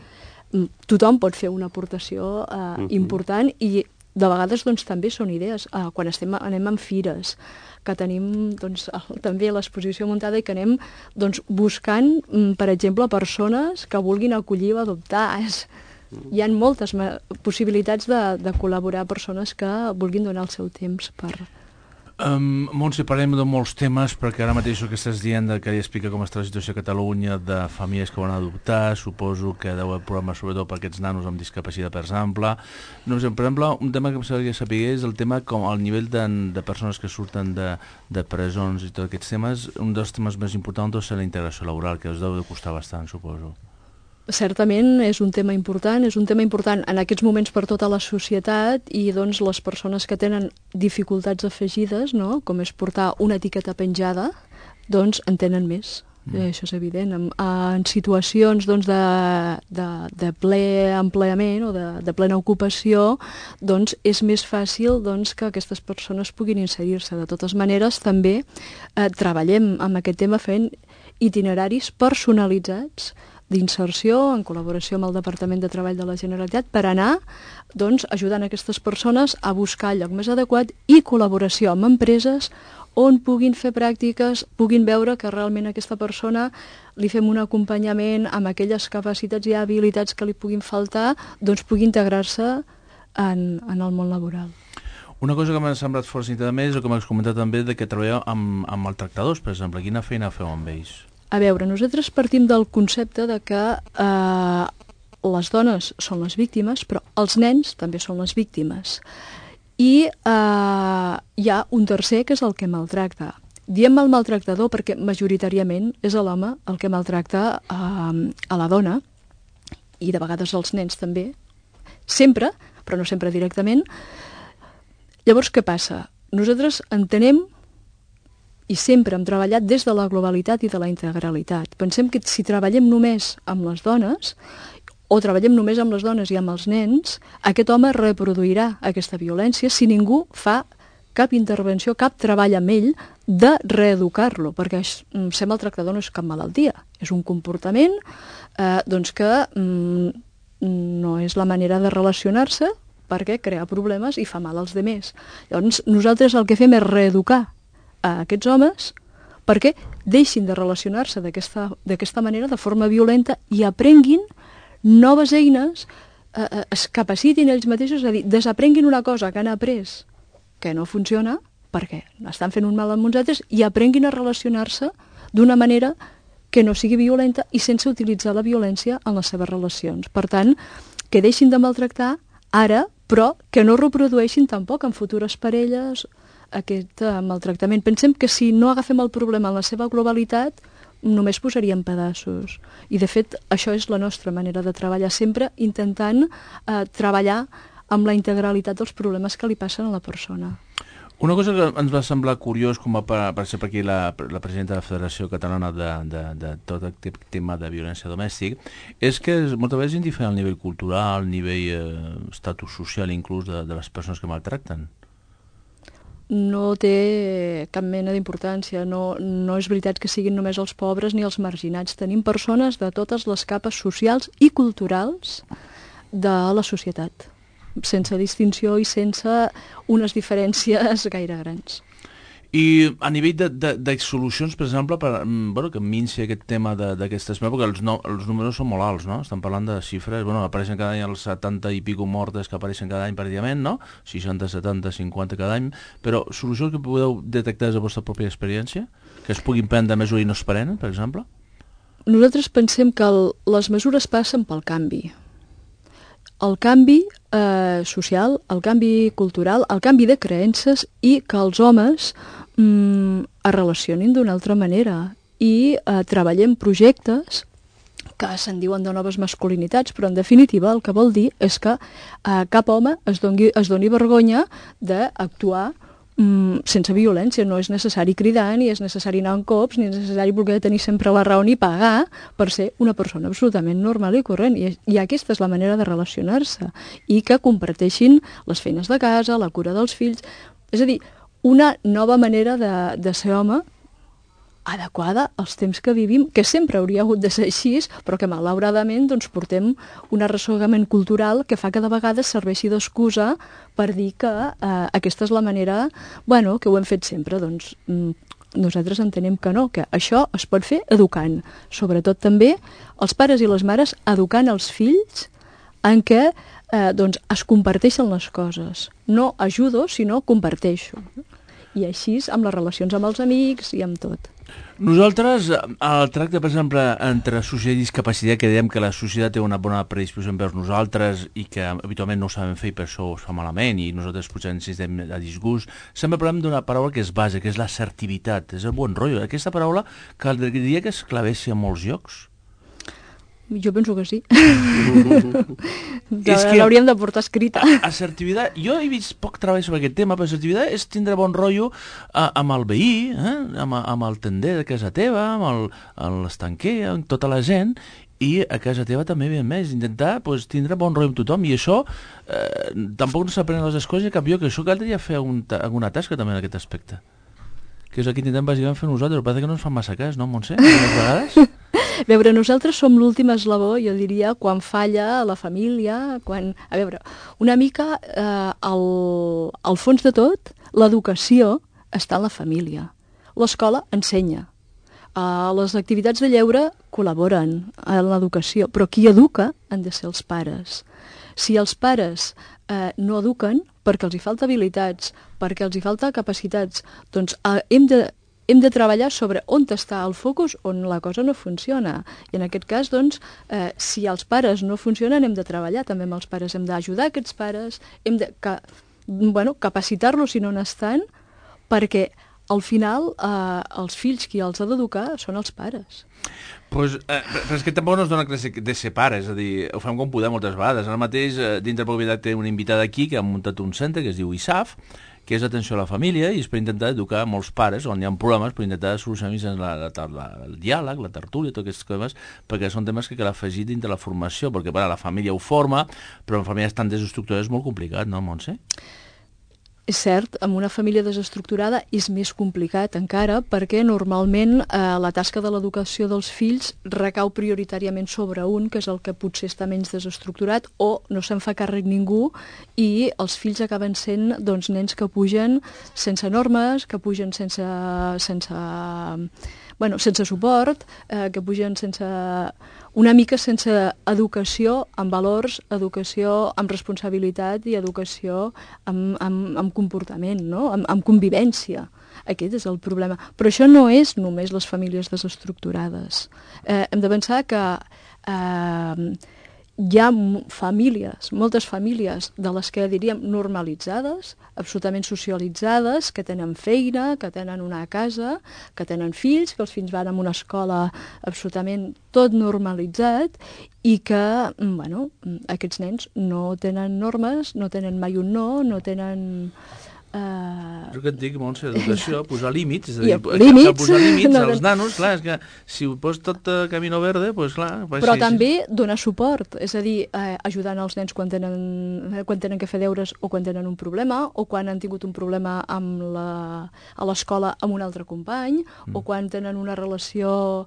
tothom pot fer una aportació important i de vegades doncs, també són idees. Quan anem en fires, que tenim doncs, també l'exposició muntada i que anem doncs, buscant, per exemple, persones que vulguin acollir o adoptar. Hi ha moltes possibilitats de col·laborar persones que vulguin donar el seu temps per... Montse, parlem de molts temes, perquè ara mateix el que estàs dient que ja explica com està la situació a Catalunya de famílies que van adoptar, suposo que deu haver problemes sobretot per aquests nanos amb discapacitat, per exemple. No sé, per exemple, un tema que m'agradaria saber és el tema com el nivell de persones que surten de presons i tots aquests temes. Un dels temes més importants és la integració laboral, que us deu de costar bastant, suposo. Certament és un tema important en aquests moments per tota la societat i doncs les persones que tenen dificultats afegides, no? Com és portar una etiqueta penjada, doncs en tenen més. Això és evident. En situacions doncs, de ple empleament o de plena ocupació, doncs és més fàcil doncs, que aquestes persones puguin inserir-se. De totes maneres, també treballem amb aquest tema fent itineraris personalitzats d'inserció en col·laboració amb el Departament de Treball de la Generalitat per anar doncs, ajudant aquestes persones a buscar el lloc més adequat i col·laboració amb empreses on puguin fer pràctiques, puguin veure que realment a aquesta persona li fem un acompanyament amb aquelles capacitats i habilitats que li puguin faltar, doncs pugui integrar-se en el món laboral. Una cosa que m'ha semblat força interessant és el que m'has comentat també de que treballeu amb maltractadors, per exemple. Quina feina feu amb ells? A veure, nosaltres partim del concepte de que les dones són les víctimes, però els nens també són les víctimes. I hi ha un tercer que és el que maltracta. Diem el maltractador perquè majoritàriament és l'home el que maltracta a la dona, i de vegades els nens també, sempre, però no sempre directament. Llavors, què passa? Nosaltres entenem i sempre hem treballat des de la globalitat i de la integralitat. Pensem que si treballem només amb les dones, o treballem només amb les dones i amb els nens, aquest home reproduirà aquesta violència si ningú fa cap intervenció, cap treball amb ell de reeducar-lo, perquè ser maltractador no és cap malaltia, és un comportament doncs que no és la manera de relacionar-se perquè crea problemes i fa mal als demés. Llavors, nosaltres el que fem és reeducar a aquests homes perquè deixin de relacionar-se d'aquesta manera, de forma violenta, i aprenguin noves eines, es capacitin ells mateixos, és a dir, desaprenguin una cosa que han après que no funciona perquè estan fent un mal amb uns altres, i aprenguin a relacionar-se d'una manera que no sigui violenta i sense utilitzar la violència en les seves relacions. Per tant, que deixin de maltractar ara però que no reprodueixin tampoc en futures parelles aquest maltractament. Pensem que si no agafem el problema en la seva globalitat, només posaríem pedaços. I, de fet, això és la nostra manera de treballar, sempre intentant treballar amb la integralitat dels problemes que li passen a la persona. Una cosa que ens va semblar curiós, com va aparèixer per aquí la presidenta de la Federació Catalana de tot aquest tema de violència domèstica, és que moltes vegades és indiferent al nivell cultural, al nivell estatus social inclús de les persones que maltracten. No té cap mena d'importància, no és veritat que siguin només els pobres ni els marginats. Tenim persones de totes les capes socials i culturals de la societat, sense distinció i sense unes diferències gaire grans. I a nivell de solucions, per exemple, que minci aquest tema d'aquestes... Perquè els números són molt alts, no? Estan parlant de xifres... Apareixen cada any els 70 i pico mortes que apareixen cada any pràcticament, no? 60, 70, 50 cada any. Però solucions que podeu detectar des de la vostra pròpia experiència? Que es puguin prendre mesures i no es prenen, per exemple? Nosaltres pensem que les mesures passen pel canvi. El canvi social, el canvi cultural, el canvi de creences i que els homes es relacionin d'una altra manera i treballem projectes que se'n diuen de noves masculinitats, però en definitiva el que vol dir és que cap home es doni vergonya d'actuar sense violència. No és necessari cridar, ni és necessari anar en cops, ni és necessari voler tenir sempre la raó ni pagar per ser una persona absolutament normal i corrent. I aquesta és la manera de relacionar-se i que comparteixin les feines de casa, la cura dels fills. És a dir, una nova manera de ser home adequada als temps que vivim, que sempre hauria hagut de ser així, però que malauradament doncs, portem un arrossegament cultural que fa que de vegades serveixi d'excusa per dir que aquesta és la manera, que ho hem fet sempre. Doncs nosaltres entenem que no, que això es pot fer educant, sobretot també els pares i les mares educant els fills en què es comparteixen les coses. No ajudo, sinó comparteixo. I així amb les relacions amb els amics i amb tot. Nosaltres, el tracte, per exemple, entre societat i discapacitat, que dèiem que la societat té una bona predisposició envers nosaltres i que habitualment no ho sabem fer i per això ho fa malament i nosaltres potser ens estem a disgust, sempre parlem d'una paraula que és base, que és l'assertivitat, és el bon rotllo. Aquesta paraula caldria que es clavessi a molts llocs. Jo penso que sí. L'hauríem de portar escrita. Assertivitat, jo he vist poc treball sobre aquest tema, però assertivitat és tindre bon rotllo amb el veí, amb el tender de casa teva, amb l'estanquer, amb tota la gent, i a casa teva també, ben més, intentar tindre bon rotllo amb tothom, i això tampoc no s'aprenen les escoles, i canvió que això caldria fer alguna tasca també en aquest aspecte. Que és el que intentem bàsicament fer nosaltres, però parece que no ens fan massa cas, no, Montse? Algunes vegades? A veure, nosaltres som l'últim eslabó, jo diria, quan falla la família, A veure, una mica, al fons de tot, l'educació està en la família. L'escola ensenya. Les activitats de lleure col·laboren en l'educació, però qui educa han de ser els pares. Si els pares no eduquen, perquè els hi falta habilitats, perquè els hi falta capacitats, doncs hem de treballar sobre on està el focus, on la cosa no funciona. I en aquest cas, doncs, si els pares no funcionen, hem de treballar també amb els pares, hem d'ajudar aquests pares, hem de capacitar-los si no n'estan, perquè al final els fills qui els ha d'educar són els pares. Però és que tampoc no es dona classe de ser pare, és a dir, ho fem com podem moltes vegades. Ara mateix, dintre de Propietat, té una invitada aquí que ha muntat un centre que es diu ISAF, que és atenció a la família, i és per intentar educar molts pares on hi ha problemes, per intentar solucionar el diàleg, la tertúlia, tots aquests temes, perquè són temes que cal afegir dintre la formació, perquè la família ho forma, però en famílies tan desestructurades és molt complicat, no, Montse? És cert, amb una família desestructurada és més complicat encara perquè normalment la tasca de l'educació dels fills recau prioritàriament sobre un, que és el que potser està menys desestructurat, o no se'n fa càrrec ningú i els fills acaben sent nens que pugen sense normes, que pugen sense suport, que pugen una mica sense educació amb valors, educació amb responsabilitat i educació amb comportament, no? amb convivència. Aquest és el problema. Però això no és només les famílies desestructurades. Hem de pensar que hi ha famílies, moltes famílies de les que diríem normalitzades, absolutament socialitzades, que tenen feina, que tenen una casa, que tenen fills, que els fills van a una escola absolutament tot normalitzat i que, bueno, aquests nens no tenen normes, no tenen mai un no, no tenen... Jo que et dic, Montse, educació, posar límits, és a dir, límits, posar límits no, als nanos, clar, és que si ho pos tot camino verde, doncs clar... Però sí, també donar suport, és a dir, ajudant els nens quan tenen que fer deures o quan tenen un problema, o quan han tingut un problema a l'escola amb un altre company, o quan tenen una relació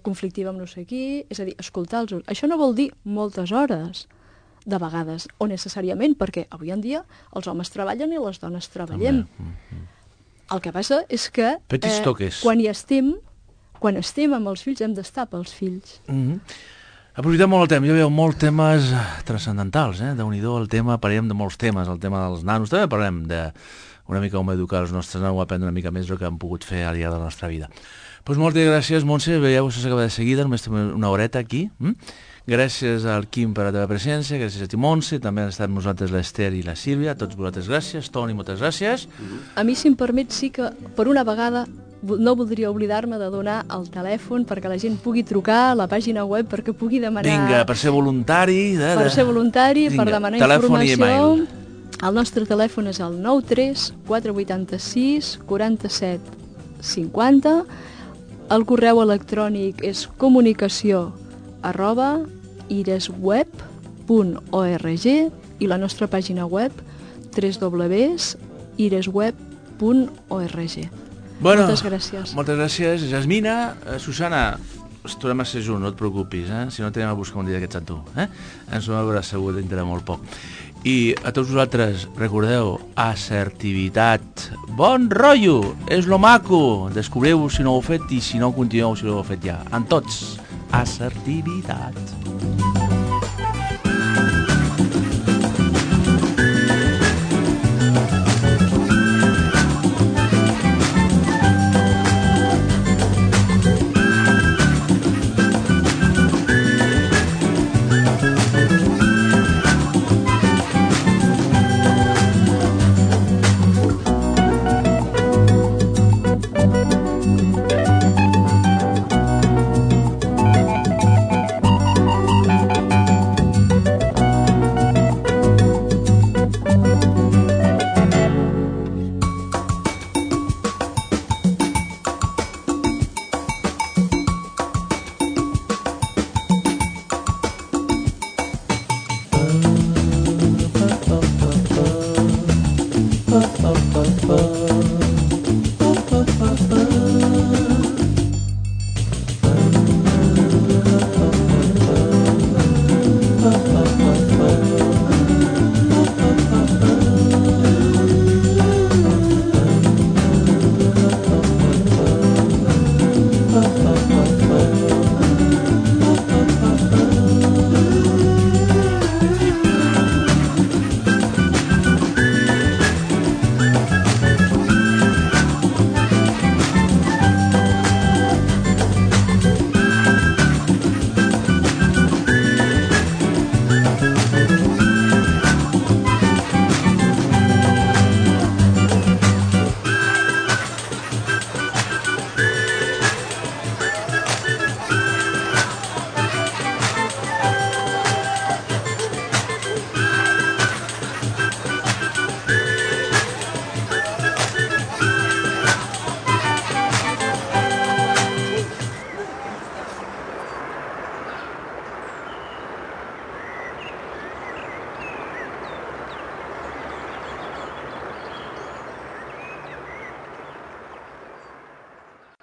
conflictiva amb no sé qui, és a dir, escoltar-los. Això no vol dir moltes hores, de vegades, o necessàriament, perquè avui en dia els homes treballen i les dones treballem. El que passa és que quan estem amb els fills hem d'estar pels fills. Aprofitem molt el temps, jo veieu molts temes transcendentals, Déu-n'hi-do el tema, parlem de molts temes, el tema dels nanos, també parlem de una mica com educar els nostres nanos, aprendre una mica més el que han pogut fer al llarg de la nostra vida. Doncs moltes gràcies, Montse, veieu, això s'acaba de seguida, només tenim una horeta aquí. Gràcies al Quim per la teva presència, gràcies a ti, Montse, també han estat amb nosaltres l'Ester i la Sílvia, a tots vosaltres gràcies, Toni, moltes gràcies. A mi, si em permet, sí que per una vegada no voldria oblidar-me de donar el telèfon perquè la gent pugui trucar a la pàgina web, perquè pugui demanar... Vinga, per ser voluntari... Per ser voluntari, per demanar telèfon informació... El nostre telèfon és el 93 486 47 50. El correu electrònic és comunicació@iresweb.org i la nostra pàgina web www.iresweb.org. Bueno, moltes gràcies. Moltes gràcies, Jasmina. Susana, ens tornem a ser junts, no et preocupis, si no t'anem a buscar un dia d'aquests a tu. Ens ho veurà segur dintre molt poc. I a tots vosaltres, recordeu, assertivitat, bon rotllo, és lo maco, descobriu si no ho heu fet i si no continueu si no ho heu fet ja. En tots, assertivitat.